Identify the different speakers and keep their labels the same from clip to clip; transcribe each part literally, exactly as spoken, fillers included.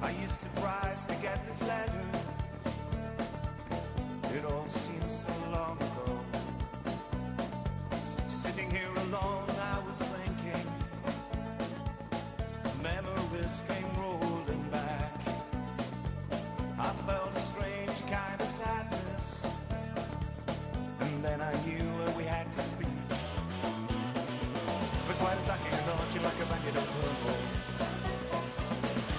Speaker 1: Are you surprised to get this letter? It all seems so long ago. Sitting here alone, I was thinking. Memories came rolling back. I felt a strange kind of sadness. And then I knew we had to speak. Fue quite a second noche la que venía del cuerpo.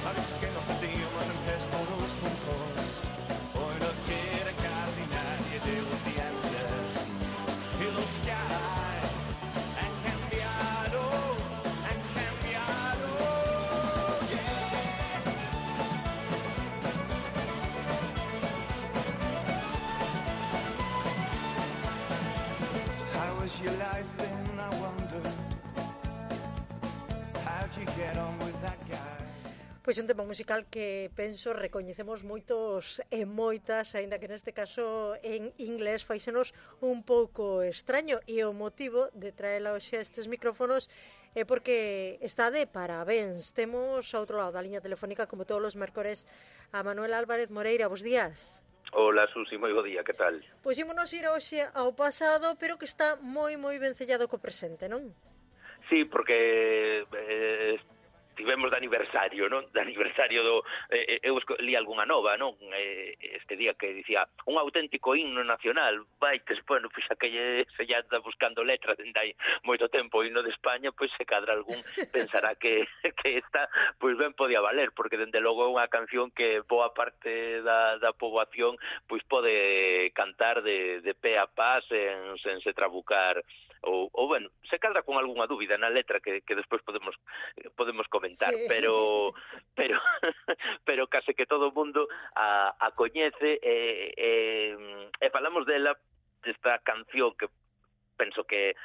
Speaker 1: A veces que nos sentimos en todos juntos. Hoy no quiere casi nadie de los dientes. Y los que hay han cambiado, han cambiado. Yeah. How has your life been, I wonder? How'd you get on with that guy?
Speaker 2: Pois un tema musical que penso recoñecemos moitos e moitas, aínda que neste caso en inglés faixenos un pouco extraño, e o motivo de traela hoxe a estes micrófonos é porque está de parabéns. Temos ao outro lado da liña telefónica, como todos os mércores, a Manuel Álvarez Moreira. Bos días.
Speaker 3: Hola, Susi, moi bo día, que tal?
Speaker 2: Pois ímonos ir hoxe ao pasado, pero que está moi moi vencellado co presente, non?
Speaker 3: Sí, porque eh, tivemos de aniversario, non? De aniversario do... Eh, eu li algunha nova, non? Eh, este día que dicía un auténtico himno nacional. Vai, que, bueno, pois pues, aquelle se ya anda buscando letras dende hai moito tempo o himno de España, pois pues, se cadra algún pensará que, que esta, pois pues, ben podía valer, porque dende logo é unha canción que boa parte da, da poboación pois pues, pode cantar de, de pé a pá sen, sen se trabucar ou, ou bueno, se cadra con algunha dúbida na letra que, que despois podemos podemos comentar, sí. pero pero pero case que todo o mundo a, a coñece e, e, e falamos dela, desta canción que penso que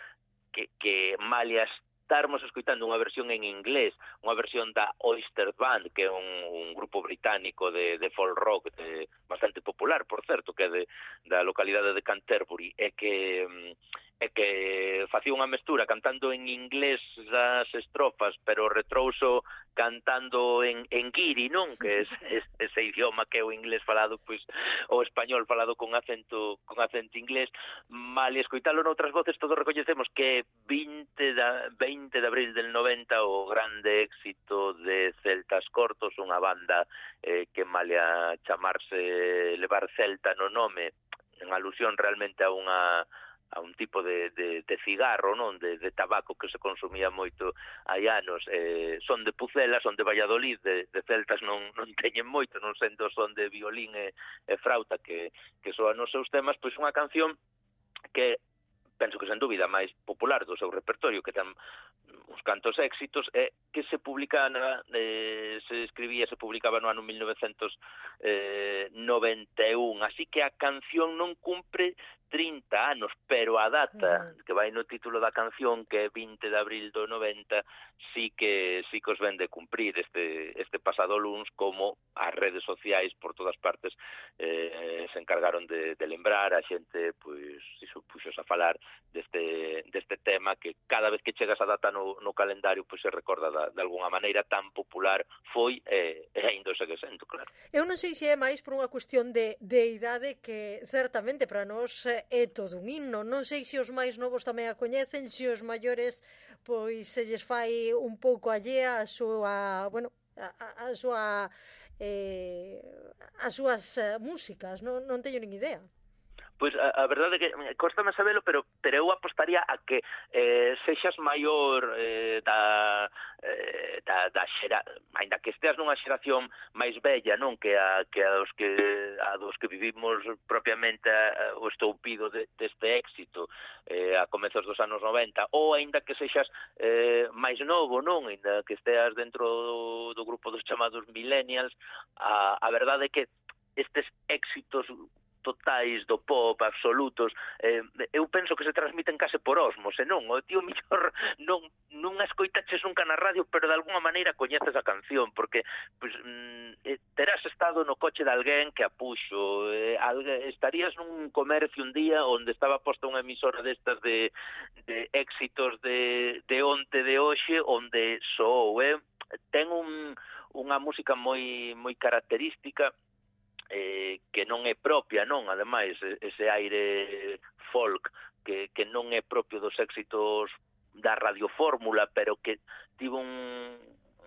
Speaker 3: que, que malia estarmos escoitando unha versión en inglés, unha versión da Oyster Band, que é un, un grupo británico de, de folk rock de, bastante popular, por certo, que é de, da localidade de Canterbury, e que e que facía unha mestura cantando en inglés das estrofas, pero retrouso cantando en, en guiri, non? Que é ese idioma que é o inglés falado, pois, o español falado con acento con acento inglés. Mal escoitalo noutras voces, todos recoñecemos que vinte de abril del noventa o grande éxito de Celtas Cortos, unha banda eh, que malia chamarse levar Celta no nome, en alusión realmente a unha a un tipo de, de, de cigarro, non, de, de tabaco que se consumía moito hai anos. Eh, son de Pucela, son de Valladolid, de, de celtas non, non teñen moito, non sendo son de violín e, e frauta que, que soan os seus temas, pois unha canción que penso que sen dúbida máis popular do seu repertorio, que ten uns cantos éxitos, e que se publica na, eh, se escribía, se publicaba no ano mil novecentos noventa e un, así que a canción non cumpre trinta anos, pero a data uh-huh. que vai no título da canción, que é vinte de abril do noventa, sí que sí que os ven de cumprir este este pasado luns, como as redes sociais por todas partes eh, se encargaron de, de lembrar a xente, pois, se supuxos a falar deste deste tema que cada vez que chega esa data no, no calendario, pois se recorda da, de alguna maneira tan popular foi e, e ainda segue sendo, claro.
Speaker 2: Eu non sei se é máis por unha cuestión de, de idade, que certamente para nós é todo un himno. Non sei se os máis novos tamén a coñecen, se os maiores pois se lles fai un pouco allea a súa, bueno, a, a súa eh, as súas uh, músicas, non, non teño nin idea.
Speaker 3: Pois a, a verdade é que costame sabelo, pero pero eu apostaría a que eh, sexas maior eh, da, eh, da, da xera, ainda que esteas nunha xeración máis bella, non, que a, que a dos que a dos que vivimos propiamente a, o estoupido de, deste éxito eh, a comezos dos anos noventa, ou ainda que sexas eh, máis novo, non, ainda que esteas dentro do, do grupo dos chamados millennials, a, a verdade é que estes éxitos totais do pop, absolutos, eh, eu penso que se transmiten case por osmose, non? O tío mellor non, non a escoitaches nunca na radio, pero de alguna maneira coñeces a canción, porque pues, mm, terás estado no coche de alguén que a puxo, eh, alguén, estarías nun comercio un día onde estaba posta unha emisora destas de, de éxitos de, de onte de hoxe, onde soou, eh? Ten un un unha música moi moi característica, eh, que non é propia, non? Ademais, ese aire folk que, que non é propio dos éxitos da radiofórmula, pero que tivo un,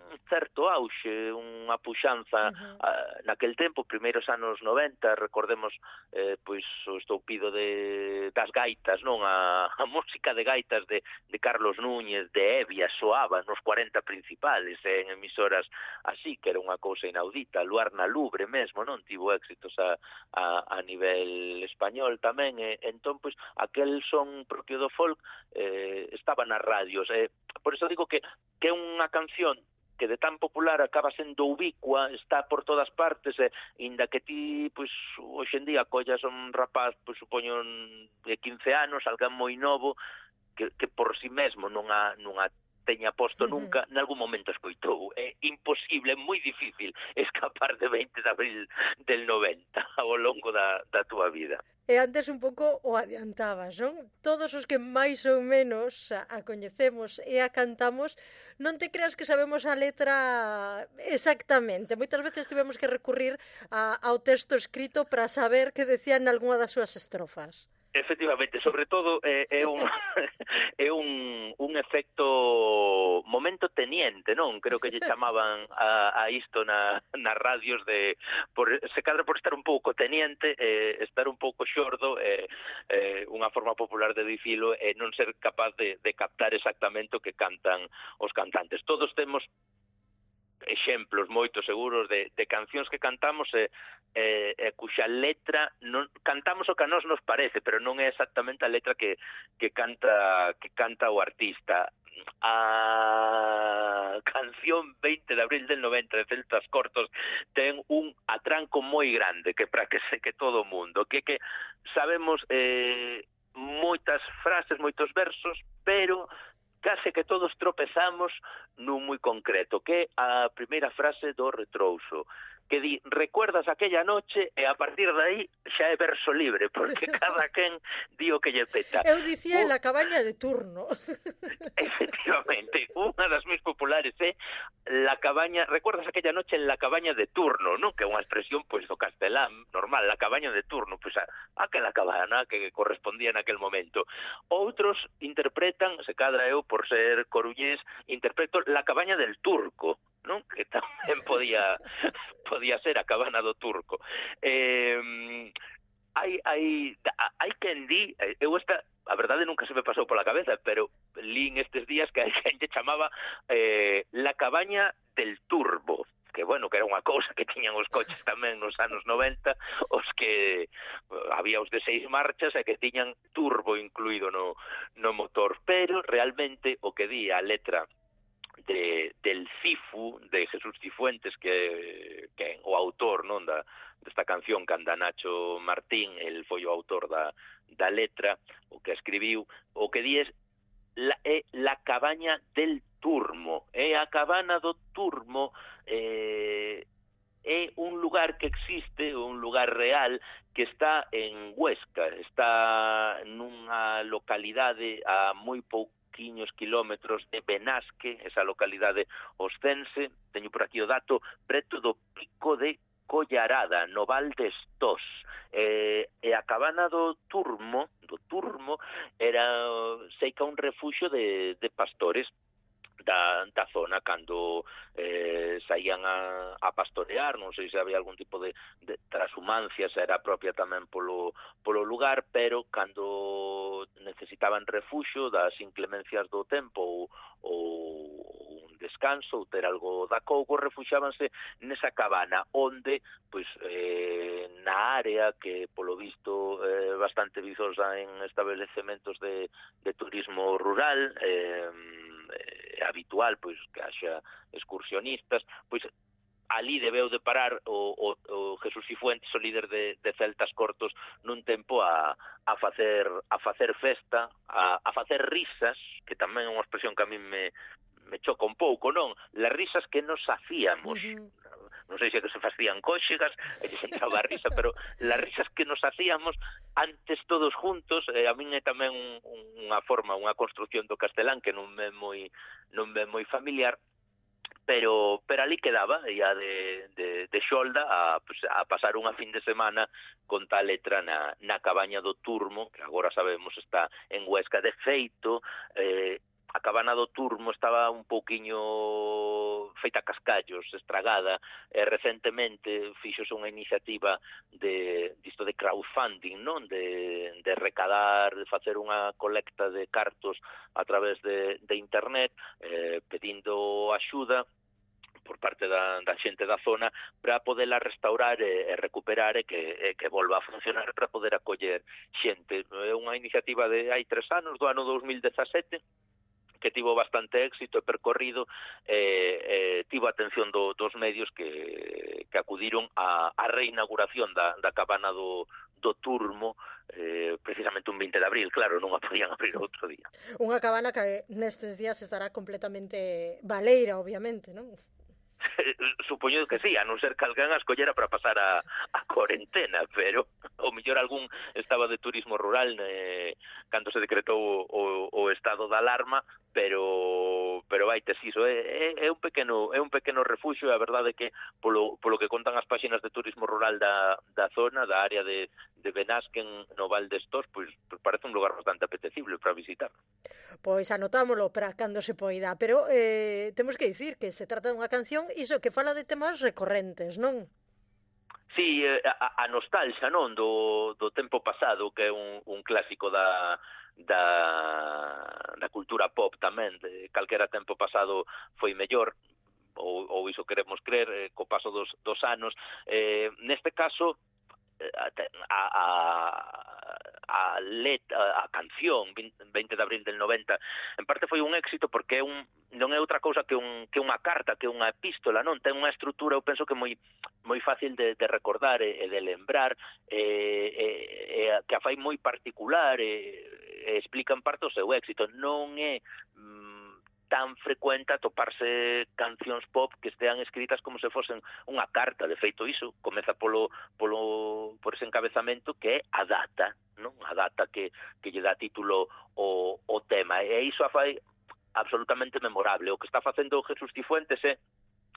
Speaker 3: un certo auxe, unha puxanza uh-huh. uh, naquel tempo, primeiros anos noventa, recordemos eh, pois o estoupido de das gaitas, non? A, a música de gaitas de, de Carlos Núñez, de Evia, soaba nos cuarenta principales, eh, en emisoras así, que era unha cousa inaudita. Luar na Lubre mesmo, non? Tivo éxitos a, a, a nivel español tamén, e entón, pois, aquel son propio do folk eh, estaba nas radios. Eh, por iso digo que, que é unha canción que de tan popular acaba sendo ubicua, está por todas partes, e inda que ti, pois, hoxe en día collas un rapaz, pois, supoño, de quince anos, alguén moi novo, que, que por si mesmo non a, non a teña posto nunca, en algún momento escoitou. É imposible, é moi difícil escapar de veinte de abril del noventa ao longo da, da túa vida.
Speaker 2: E antes un pouco o adiantabas, non? Todos os que máis ou menos a, a coñecemos e a cantamos, non te creas que sabemos a letra exactamente. Moitas veces tivemos que recurrir a, ao texto escrito para saber que decían algunha das súas estrofas.
Speaker 3: Efectivamente, sobre todo é, é un é un, un efecto momento teniente, non? Creo que lle chamaban a, a isto na, nas radios de por, se cadra por estar un pouco teniente, eh, estar un pouco xordo, eh, eh, unha forma popular de dicilo, e eh, non ser capaz de, de captar exactamente o que cantan os cantantes. Todos temos exemplos moitos seguros de, de cancións que cantamos e, e, e cuxa letra non, cantamos o que a nós nos parece, pero non é exactamente a letra que, que canta que canta o artista. A canción veinte de abril del noventa de Celtas Cortos ten un atranco moi grande que para que se que todo o mundo, que que sabemos eh, moitas frases, moitos versos, pero case que todos tropezamos nun moi concreto, que é a primeira frase do retrouso, que di, recuerdas aquella noche, e a partir de aí xa é verso libre, porque cada quen di o que lle peta.
Speaker 2: Eu dicía en la cabaña de turno.
Speaker 3: Efectivamente, unha das máis populares é la cabaña, recuerdas aquella noche en la cabaña de turno, non? Que é unha expresión, pois, do castelán normal, la cabaña de turno, pois, a, aquela cabana que correspondía en aquel momento. Outros interpretan, se cadra eu por ser coruñés, interpreto la cabaña del turco, non? Que tamén podía podía ser a cabana do turco. Eh, hai hai hai quen di, eu esta a verdade nunca se me pasou pola cabeza, pero lín estes días que hai quen lle chamaba eh, la cabaña del turbo, que bueno, que era unha cousa que tiñan os coches tamén nos anos noventa, os que había os de seis marchas e que tiñan turbo incluído no, no motor, pero realmente o que di a letra de, del Cifu, de Jesús Cifuentes, que, que o autor, non, da, desta canción, que anda Nacho Martín, el foi o autor da, da letra, o que escribiu, o que di é la, é la cabaña del Turmo, é a cabana do Turmo, eh, é un lugar que existe, un lugar real, que está en Huesca, está nunha localidade a moi pouco kilómetros de Benasque, esa localidade oscense, teño por aquí o dato, preto do Pico de Collarada, no Val de Estós. Eh, e a cabana do Turmo, do Turmo, era, sei que un refuxio de, de pastores da, da zona, cando eh, saían a, a pastorear, non sei se había algún tipo de, de transhumancia, se era propia tamén polo, polo lugar, pero cando necesitaban refuxo das inclemencias do tempo ou, ou un descanso, ou ter algo da cougo, refuxábanse nesa cabana, onde, pois, eh, na área que, polo visto, é eh, bastante vizosa en establecementos de, de turismo rural, eh, eh, habitual, pois, que haxa excursionistas, pois, ali debeu de parar o, o, o Jesús Cifuentes, o líder de, de Celtas Cortos, nun tempo a, a facer a facer festa, a, a facer risas, que tamén é unha expresión que a mí me, me choca un pouco, non? Las risas que nos hacíamos. Uh-huh. Non sei se que se facían cóxegas, e que se entraba a risa, pero las risas que nos hacíamos antes todos juntos, eh, a min é tamén un, unha forma, unha construcción do castelán que non me moi non me moi familiar, pero pero ali quedaba, ia de, de, de xolda a, pues, a pasar unha fin de semana con tal letra na, na cabaña do Turmo, que agora sabemos está en Huesca. De feito, eh, a cabana do Turmo estaba un pouquiño feita cascallos, estragada, e recentemente fixose unha iniciativa de disto de crowdfunding, non? De, de recadar, de facer unha colecta de cartos a través de, de internet, eh, pedindo axuda por parte da, da xente da zona para poderla restaurar e, e recuperar e que, e que volva a funcionar para poder acoller xente. É unha iniciativa de hai tres anos, do ano dos mil dezasete, que tivo bastante éxito e percorrido, eh, eh, tivo a atención do, dos medios que, que acudiron a, a reinauguración da, da cabana do, do Turmo, eh, precisamente un veinte de abril, claro, non a podían abrir outro día.
Speaker 2: Unha cabana que nestes días estará completamente baleira, obviamente, non?
Speaker 3: Supoño que sí, a non ser que alguén a escollera para pasar a, a cuarentena, pero o mellor algún estaba de turismo rural eh, cando se decretou o, o estado de alarma, pero pero vai tes iso, é, é, é un pequeno é un pequeno refuxio, e a verdade é que polo, polo que contan as páxinas de turismo rural da, da zona, da área de, de Benasquen, no Val de Estós, pois, pois parece un lugar bastante apetecible para visitar.
Speaker 2: Pois anotámolo para cando se poida, pero eh, temos que dicir que se trata dunha canción iso que fala de temas recorrentes, non?
Speaker 3: Sí, a, a nostalgia, non, do, do tempo pasado, que é un, un clásico da, da, da cultura pop tamén, de calquera tempo pasado foi mellor, ou, ou iso queremos crer, eh, co paso dos, dos anos. Eh, neste caso, a, a, a, let, a, a canción veinte de abril del noventa en parte foi un éxito porque é un, non é outra cousa que, un, que unha carta, que unha epístola, non? Ten unha estrutura, eu penso que moi moi fácil de, de recordar e, e de lembrar, e, e, e que a fai moi particular e, e explica en parte o seu éxito. Non é mm, tan frecuente atoparse cancións pop que estean escritas como se fosen unha carta. De feito, iso comeza polo, polo, por ese encabezamento que é a data, non? A data que, que lle dá título o, o tema. E iso a fai absolutamente memorable. O que está facendo Jesús Cifuentes é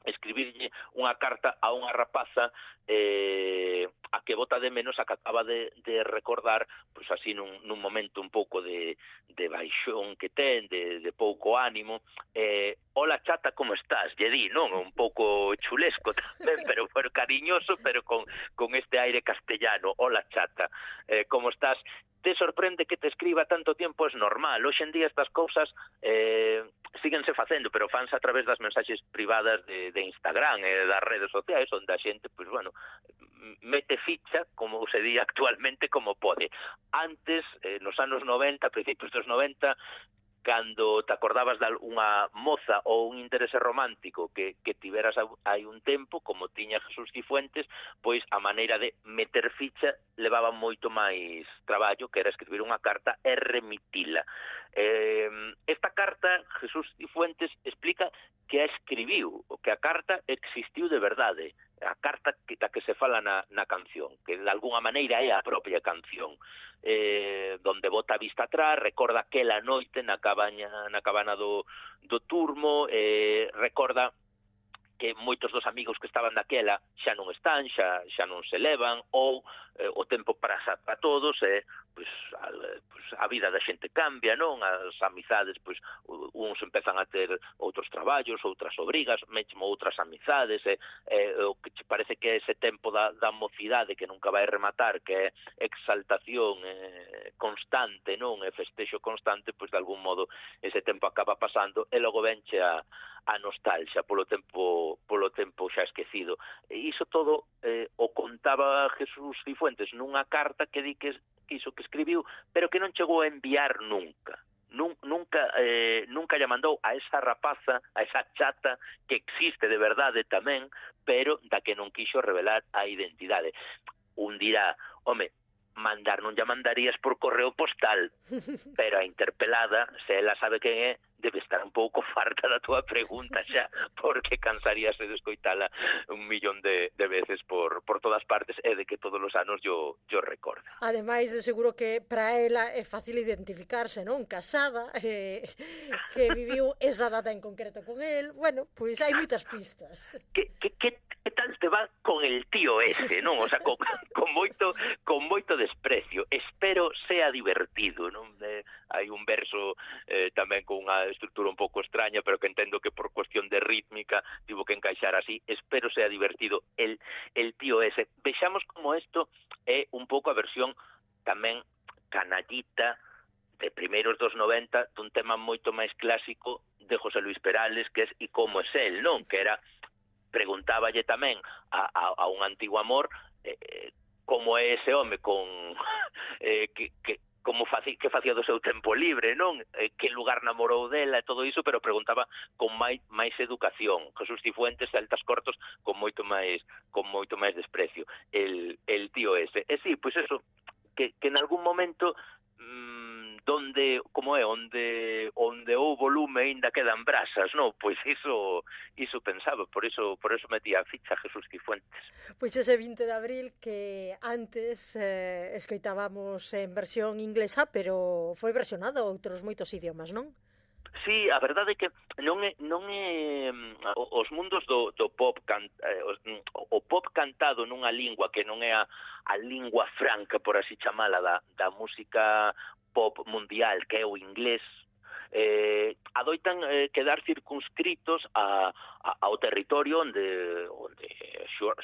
Speaker 3: escribirlle unha carta a unha rapaza eh, a que bota de menos, a que acaba de, de recordar, pois así nun, nun momento un pouco de, de baixón que ten, de, de pouco ánimo. eh, Hola chata, como estás? Lle di, non? Un pouco chulesco tamén, pero, pero cariñoso, pero con, con este aire castellano. Hola chata, eh, como estás? Te sorprende que te escriba tanto tempo? Es normal. Hoxe en día estas cousas eh, síguense facendo, pero fanse a través das mensaxes privadas de, de Instagram e eh, das redes sociais, onde a xente, pois, bueno, mete ficha, como se di actualmente, como pode. Antes, eh, nos anos noventa, principios dos noventa, cando te acordabas de unha moza ou un interese romántico que, que tiveras hai un tempo, como tiña Jesús Cifuentes, pois a maneira de meter ficha levaba moito máis traballo, que era escribir unha carta e remitila. Eh, esta carta, Jesús Cifuentes explica que a escribiu, que a carta existiu de verdade, a carta que, da que se fala na, na canción, que de alguna maneira é a propia canción, eh, donde bota a vista atrás, recorda aquela noite na cabaña, na cabana do, do Turmo, eh, recorda que moitos dos amigos que estaban daquela xa non están, xa, xa non se levan, ou eh, o tempo pasa para todos, e eh, pois, a, pois, a vida da xente cambia, non? As amizades, pois, uns empezan a ter outros traballos, outras obrigas, mesmo outras amizades, e eh, o que che parece que é ese tempo da, da mocidade que nunca vai rematar, que é exaltación eh, constante, non? E festexo constante, pois, de algún modo, ese tempo acaba pasando, e logo venche a a nostalgia polo tempo polo tempo xa esquecido. E iso todo eh, o contaba Jesús Cifuentes nunha carta que di que, que iso que escribiu, pero que non chegou a enviar nunca. Nun, nunca eh, nunca lle mandou a esa rapaza, a esa chata que existe de verdade tamén, pero da que non quixo revelar a identidade. Un dirá, home, mandar non lle mandarías por correo postal, pero a interpelada, se ela sabe quen é, debe estar un pouco farta da túa pregunta xa, porque cansaríase de escoitala un millón de, de veces por, por todas partes, e de que todos todos os anos yo, yo recorda.
Speaker 2: Ademais, de seguro que para ela é fácil identificarse, non? Casada, eh, que viviu esa data en concreto con el. Bueno, pois hai moitas pistas.
Speaker 3: Que, que, que, que tal te va con el tío ese, non? O sea, con, con moito con moito desprecio. Espero sea divertido, non? Eh, hai un verso eh, tamén con unha estrutura un pouco extraña, pero que entendo que por cuestión de rítmica tivo que encaixar así. Espero sea divertido el, el tío ese. Vexamos como isto é un pouco a versión tamén canallita de primeiros dos noventa dun tema moito máis clásico de José Luis Perales, que é E como es él, non? Que era, preguntáballe tamén a, a, a un antigo amor eh, como é ese home con eh, que, que como faci, que facía do seu tempo libre, non? Eh, que lugar namorou dela e todo iso, pero preguntaba con máis máis educación. Jesús Cifuentes, Celtas Cortos, con moito máis con moito máis desprecio. El el tío ese. E si, pois eso, que que en algún momento mmm, donde, como é, onde onde houbo lume aínda quedan brasas, non? Pois iso iso pensaba, por iso por iso metía a ficha Jesús Cifuentes.
Speaker 2: Pois ese vinte de abril que antes eh, escoitábamos en versión inglesa, pero foi versionado a outros moitos idiomas, non?
Speaker 3: Sí, a verdade é que non é non é os mundos do do pop can, eh, o pop cantado nunha lingua que non é a, a lingua franca, por así chamala, da da música pop mundial, que é o inglés, eh, adoitan eh, quedar circunscritos a, a, ao territorio onde onde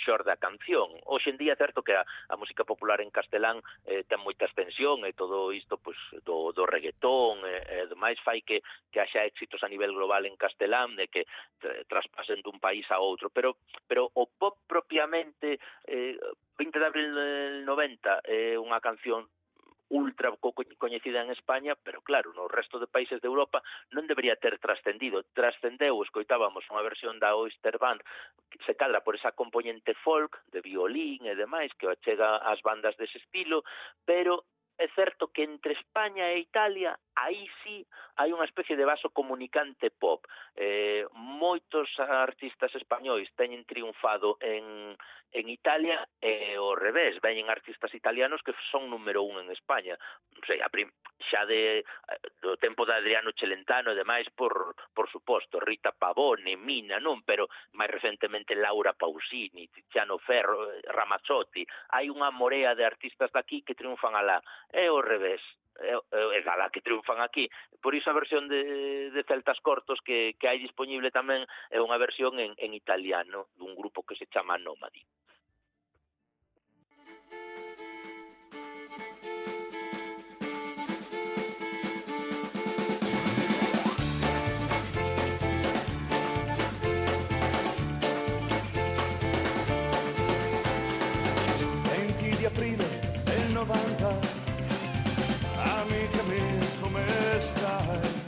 Speaker 3: xorde a canción. Hoxe en día é certo que a, a música popular en castelán eh, ten moita extensión e todo isto pues, do, do reggaetón e, e demais fai que, que haxa éxitos a nivel global en castelán de que eh, traspasen dun país a outro, pero pero o pop propiamente eh, vinte de abril del noventa é unha canción ultra coñecida en España, pero claro, no resto de países de Europa non debería ter trascendido. Trascendeu, escoitábamos unha versión da Oyster Band que se cadra por esa componente folk, de violín e demais, que achega ás bandas dese estilo, pero é certo que entre España e Italia, aí sí hai unha especie de vaso comunicante pop. Eh, moitos artistas españois teñen triunfado en, en Italia e ao revés, veñen artistas italianos que son número un en España. Non sei, a prim, xa de, do tempo de Adriano Celentano e demais, por, por suposto, Rita Pavone, Mina, non? Pero máis recentemente Laura Pausini, Tiziano Ferro, Ramazzotti. Hai unha morea de artistas daqui que triunfan alá. É ao revés, é, é alá que triunfan aquí. Por iso a versión de, de Celtas Cortos que, que hai disponible tamén é unha versión en, en italiano dun grupo que se chama Nomadi.
Speaker 1: venti di aprile del novanta, amica mia come stai?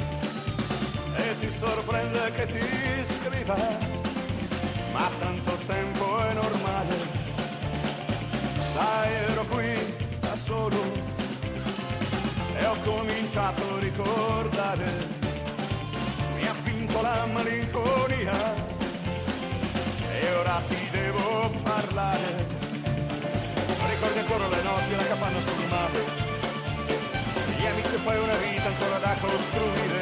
Speaker 1: E ti sorprende che ti scriva, ma tanto tempo è normale. Sai, ero qui da solo e ho cominciato a ricordare, mi ha vinto la malinconia e ora ti devo parlare. Ricordi ancora le notti, la capanna sul mare, gli amici e poi una vita ancora da costruire,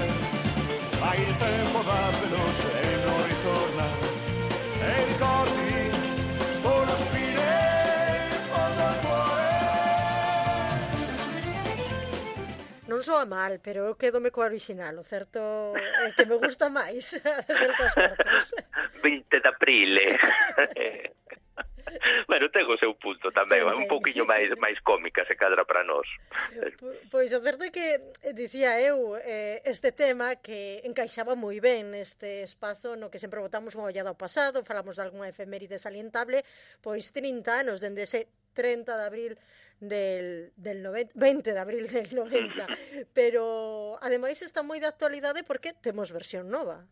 Speaker 1: ma il tempo va veloce e non ritorna, e i ricordi sono spine in fondo al cuore.
Speaker 2: Non soa mal, pero eu quedome co original, o certo é que me gusta máis Celtas Cortos.
Speaker 3: vinte de aprile. Bueno, ten o seu punto tamén, é un pouquiño máis máis cómica se cadra para nós.
Speaker 2: Pois o certo é que, dicía eu, eh, este tema que encaixaba moi ben neste espazo no que sempre botamos unha ollada ao pasado, falamos de algunha efeméride salientable, pois trinta anos dende ese trinta de abril del, del noventa, vinte de abril del noventa, pero ademais está moi de actualidade porque temos versión nova.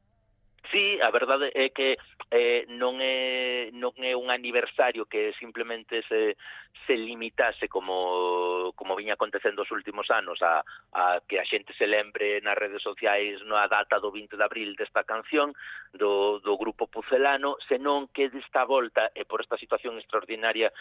Speaker 3: Sí, a verdade é que eh, non é non é un aniversario que simplemente se se limitase como como viña acontecendo os últimos anos a, a que a xente se lembre nas redes sociais na data do vinte de abril desta canción do, do grupo Pucelano, senón que desta volta e por esta situación extraordinaria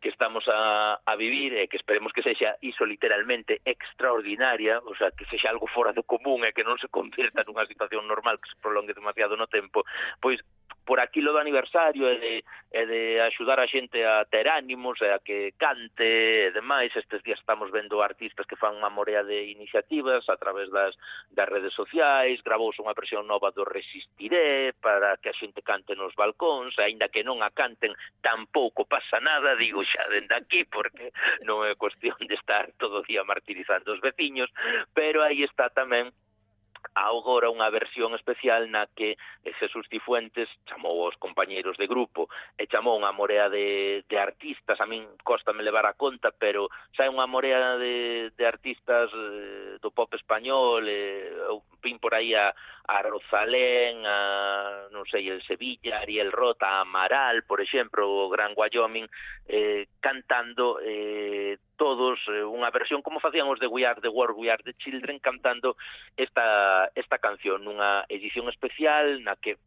Speaker 3: que estamos a, a vivir e que esperemos que sexa iso literalmente extraordinaria, o sea, que sexa algo fora do común e que non se convirta nunha situación normal que se prolongue demasiado no tempo, pois por aquilo do aniversario e de, e de axudar a xente a ter ánimos e a que cante e demais, estes días estamos vendo artistas que fan unha morea de iniciativas a través das, das redes sociais, gravouse unha versión nova do Resistiré para que a xente cante nos balcóns, aínda que non a canten tampouco pasa nada, digo xa dende aquí, porque non é cuestión de estar todo o día martirizando os veciños, pero aí está tamén agora unha versión especial na que Jesús Cifuentes chamou aos compañeiros de grupo e chamou unha morea de, de artistas, a min cóstame levar a conta, pero xa é unha morea de, de artistas eh, do pop español, eh, eu pin por aí a, a Rosalén, a, non sei, el Sevilla, Ariel Rota, a Amaral, por exemplo, o Gran Wyoming, eh, cantando eh, todos eh, unha versión como facían os de We Are the World, We Are the Children, cantando esta, esta canción nunha edición especial na que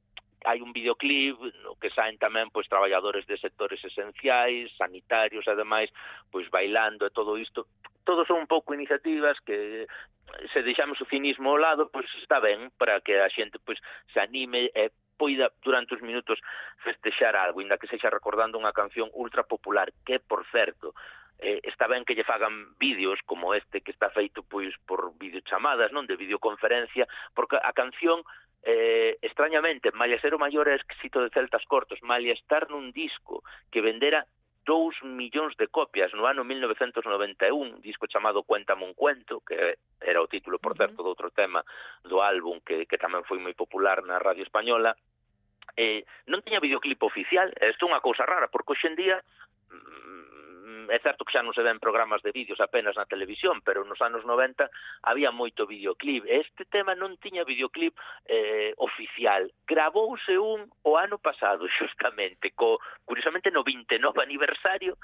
Speaker 3: hai un videoclip no que saen tamén pois traballadores de sectores esenciais, sanitarios e demais, pois bailando e todo isto. Todos son un pouco iniciativas que se deixamos o cinismo ao lado, pois está ben para que a xente pois se anime e poida durante os minutos festexar algo, inda que sexa recordando unha canción ultra popular, que por certo, eh, está ben que lle fagan vídeos como este que está feito pois por videochamadas, non, de videoconferencia, porque a canción eh, extrañamente, malia ser o maior éxito de Celtas Cortos, malia estar nun disco que vendera dous millóns de copias no ano mil novecentos noventa e un, disco chamado Cuéntame un cuento, que era o título, por certo, do outro tema do álbum que, que tamén foi moi popular na radio española, eh, non tiña videoclip oficial. Isto é unha cousa rara, porque hoxe en día é certo que xa non se ven programas de vídeos apenas na televisión, pero nos anos noventa había moito videoclip. Este tema non tiña videoclip eh, oficial. Gravouse un o ano pasado, xustamente, co, curiosamente no vinte e nove aniversario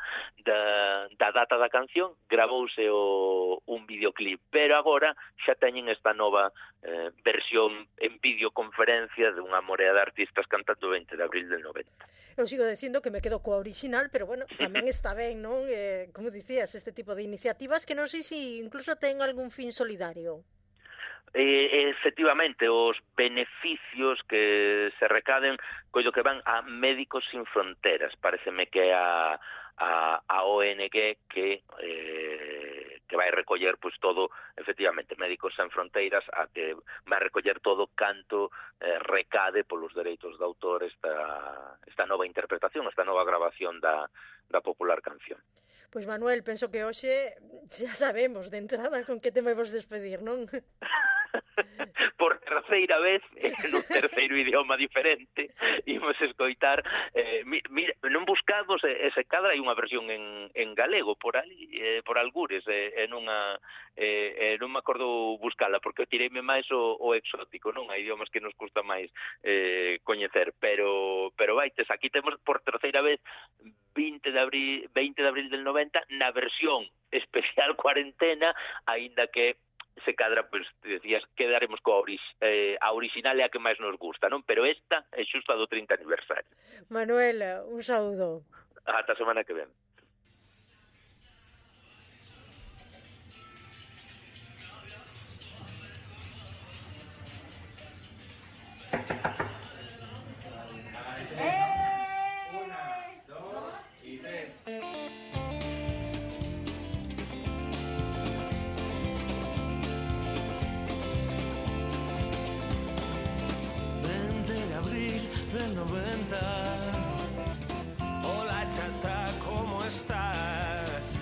Speaker 3: da, da data da canción, gravouse o, un videoclip, pero agora xa teñen esta nova eh, versión en videoconferencia de unha morea de artistas cantando o veinte de abril del noventa.
Speaker 2: Eu sigo dicindo que me quedo coa original, pero bueno, tamén está ben, non? Eh, como dicías, este tipo de iniciativas que non sei se si incluso ten algún fin solidario.
Speaker 3: Eh, efectivamente, os beneficios que se recaden coido que van a Médicos Sin Fronteras, pareceme que é a, a, a O N G que eh, que vai recoller pois todo, efectivamente, Médicos Sen Fronteiras, a que vai recoller todo canto eh, recade polos dereitos de autor esta, esta nova interpretación, esta nova grabación da, da popular canción.
Speaker 2: Pois Manuel, penso que hoxe xa sabemos de entrada con que tema vos despedir, non?
Speaker 3: Por terceira vez, en un terceiro idioma diferente, imos escoitar, eh, mira, non buscamos ese cadra, hai unha versión en, en galego por ali, eh, por algures, eh, en unha, eh, non me acordo buscala, porque tireime máis o, o exótico, non? Hai idiomas que nos custa máis eh, coñecer, pero pero vaites, aquí temos por terceira vez vinte de abril, veinte de abril del noventa, na versión especial cuarentena, aínda que se cadra, pois, pues, decías, quedaremos coa orix, eh, a original é a que máis nos gusta, non? Pero esta é xusta do trinta aniversario.
Speaker 2: Manuel, un saúdo.
Speaker 3: Ata a semana que ven.
Speaker 1: Del noventa. Hola chata, ¿cómo estás?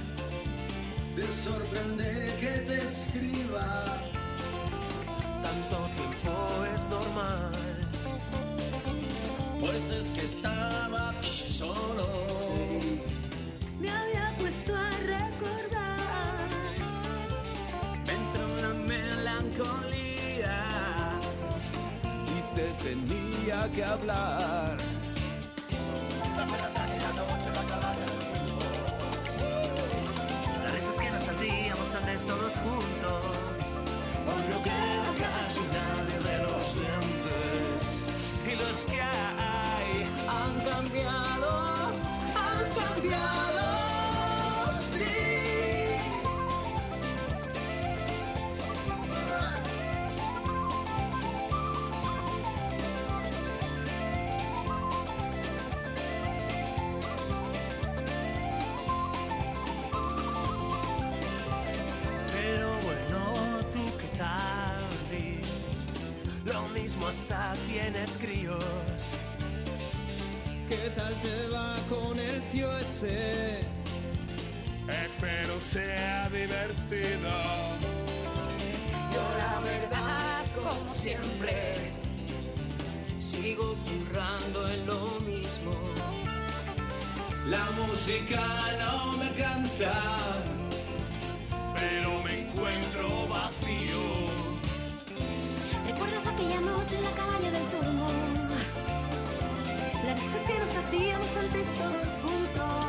Speaker 4: Te sorprende que te escriba.
Speaker 1: Tanto tiempo es normal. que hablar.
Speaker 5: Las risas que nos hacíamos antes todos juntos.
Speaker 1: Hoy no queda casi nadie de los dientes. Y los que hay han cambiado, han cambiado, sí. Hasta tienes críos.
Speaker 4: ¿Qué tal te va con el tío ese?
Speaker 1: Espero sea divertido.
Speaker 6: Yo la verdad, como siempre, sigo currando en lo mismo.
Speaker 1: La música no me cansa, pero me encuentro vacío.
Speaker 7: ¿Recuerdas aquella noche en la cabaña del turmo? Las risas que nos hacíamos antes todos juntos.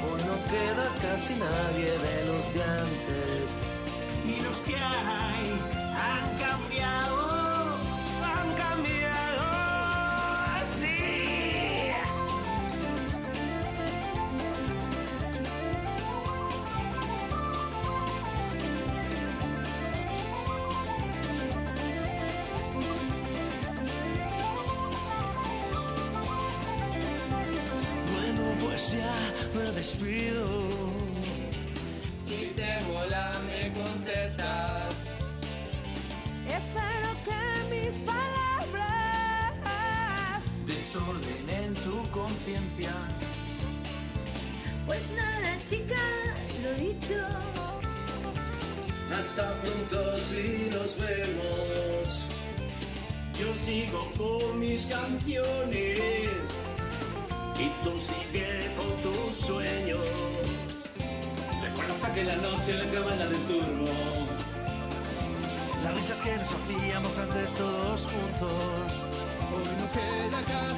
Speaker 5: Hoy no queda casi nadie de los de antes.
Speaker 1: Y los que hay han cambiado, han cambiado, sí. Pues ya me despido.
Speaker 6: Si te mola me contestas.
Speaker 7: Espero que mis palabras
Speaker 6: Desordenen tu conciencia.
Speaker 7: pues nada, chica, lo dicho.
Speaker 4: Hasta pronto si nos vemos.
Speaker 1: Yo sigo con mis canciones y tú sigue con tu sueño.
Speaker 4: ¿Recuerdas aquella noche en la cabaña del turbo?
Speaker 5: Las risas que nos hacíamos antes todos juntos.
Speaker 4: Hoy no queda casi